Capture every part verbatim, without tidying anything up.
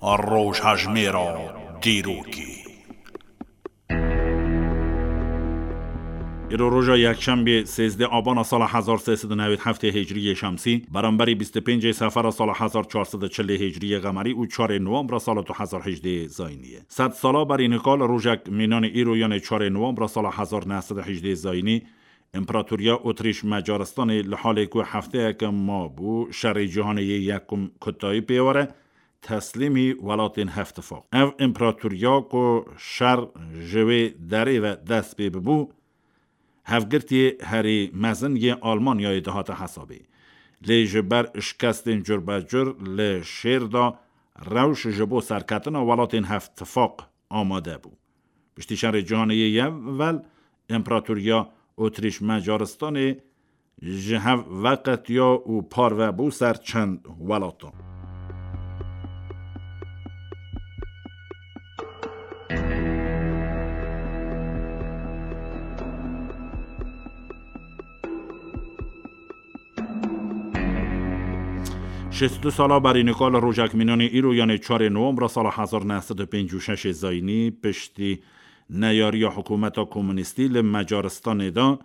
Rojhejmêra dîrokê. Îro roja yekşembê sêzdeh abana sala hezar sê sed û newêd heftê hicriyê şemsî, beramberî bîst û pêncê sefera sala hezar çar sed û çilê hicriyê qemerî û çarê nowembra sala du hezar hejdê zayînî ye. Sed sala berî nika li rojek mînanê îro, yanê çarê nowembra sala hezar neh sed û hejdê zayînî, Împaratoriya Otrîş Macaristanê li halê ku hefteyeke mabû şerê cîhanê yê yekum kutayî pê were, teslîmî welatên Hevtifaq. Ev împaratoriya ku şer ji wê derê ve dest pê bibû, hevgirtiyê herî mezin yê Almanyayê dihate hesabê. Lê ji ber şikestên curbecur li şêr de rewş ji bo serketina welatên Hevtifaq amade bû. Piştî şerê cîhanê yê yevel, Împaratoriya Otrîş Macaristanê ji hev veqetiya û parve bû ser çend welatan. Şêst û du sala berî nika li rojek mînanê îro, yanê çarê nowembra sala hezar neh sed û pêncî û şeş zayînî, piştî neyariya hikûmeta komunîstî li Macaristanê de,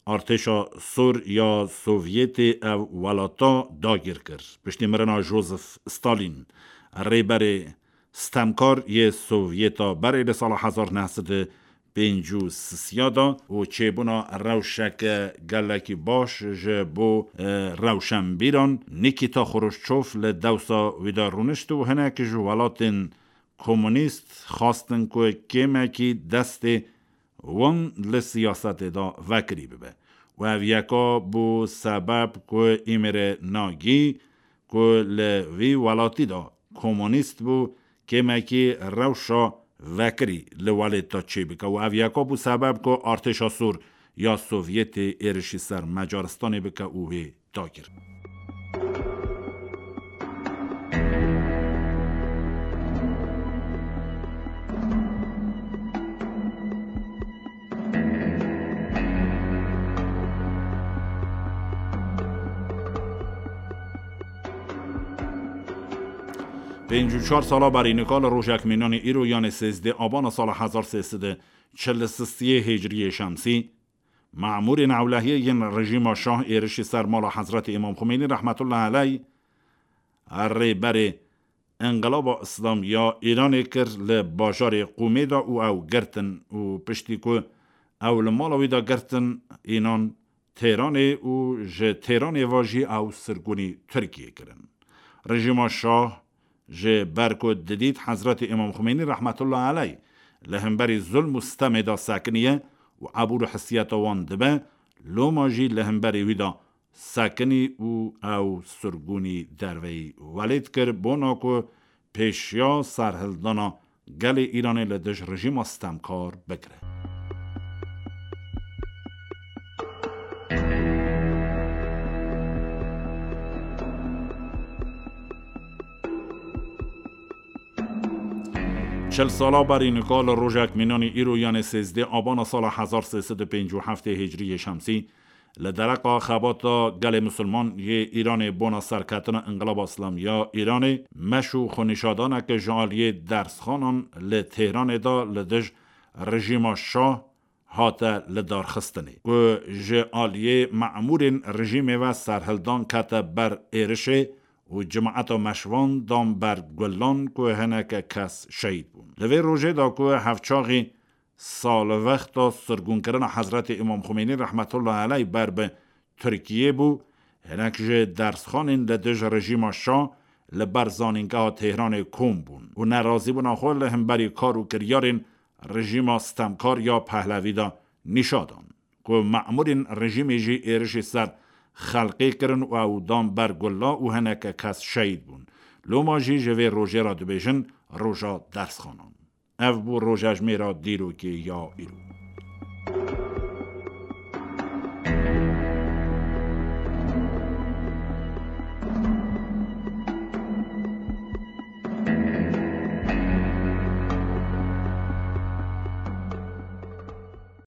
artêşa sor ya Sovyetê ev welata dagir kir. Piştî mirina Joseph Stalin, rêberê stemkar yê Sovyeta berê li sala hezar neh sed û pêncî û sisiya de û çêbûna rewşeke gelekî baş ji bo, e, rewşenbîran Nikita Xruşçov li dewsa wî de rûnişt û hinek ji welatên komunîst xwestin ku kêmekî destê wan li siyasetê de vekirî bibe. Û ev yeka bû sebeb ku Îmre Nagî, ku li vî welatî de komunîst bû, kêmekî rewşa vekirî li welêt de çêbike û ev yeka bû sebeb ku artêşa sor ya Sovyetê êrişî ser Macaristanê bike û wê dagir. Pêncî û çar sala berî nika li rojek mînanê îro, yanê sêzdeh abana sala hezar sê sed û çil û sisiyê hicriyê şemsî, memûrên ewlehiyê yên rejîma şah êrişî ser mala Hezretî Îmam Xumênî rehmetullah eleyh, rêberê Înqilaba Îslamî ya Îranê kir li bajarê Qûmê de û ew girtin û piştî ku ew li mala wî de girtin, înan Têranê û ji Têranê ve jî ew sirgûnî Tirkiyê kirin. Rejîma şah ji ber ku didît Hezretî Îmam Xumênî rehmetullah eleyh li hemberî zulm û stemê de sekiniye û ebûr û hesiyeta wan dibe, loma jî li hemberî wî de sekinî û ew sirgûnî derveyî welêt kir, bona ku pêşiya serhildana gelê Îranê li dij rejîma stemkar bigire. Çil sala berî nika li rojek mînanî îro, yanê sêzdeh abana sala hezar sê sed û pêncî û heftê hicriyê şemsî, li dereqa xebata gelê misilman yê Îranê bona serketina Înqilaba Îslamî ya Îranê, meş û xwenîşadaneke ji aliyê dersxanan li Têhranê de li dij rejîma şah hate lidarxistinê, ku ji aliyê memûrên rejîmê ve serhildan kete ber êrişê û cemaeta meşvan dan ber gulan ku hineke kes şehîd bûn. Li vê rojê de ku hevçaxî salvexta sirgûnkirina Hezretî Îmam Xumênî rehmetullah eleyh ber bi Tirkiyê bû, hinek ji dersxanên li dij rejîma şah li ber zanîngeha Têhranê kom bûn û nerazîbûna xwe li hemberî kar û kiryarên rejîma stemkar ya Pehlevî de nîşa dan, ku memûrên rejîmê jî êrişî ser xelkê kirin û ew dan ber gulla û hineke kes şehîd bûn. Loma jî ji vê rojê re dibêjin roja dersxanan. Ev bû rojejmêra dîrokê ya îro.